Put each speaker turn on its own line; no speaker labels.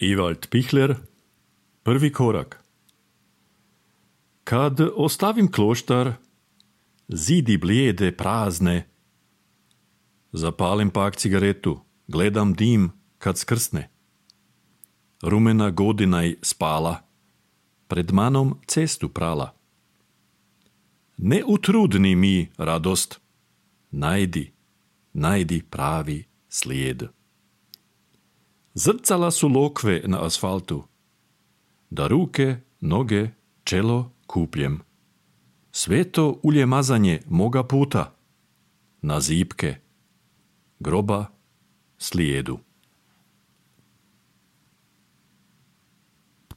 Ewald Pichler, Prvi korak. Kad ostavim kloštar, zidi blijede, prazne. Zapalim pak cigaretu, gledam dim kad skrsne. Rumena godinaj spala, pred manom cestu prala. Ne utrudni mi radost, najdi pravi slijed. Zrcala su lokve na asfaltu, da ruke, noge, čelo kupljem. Sveto ulje mazanje moga puta, na zipke, groba slijedu.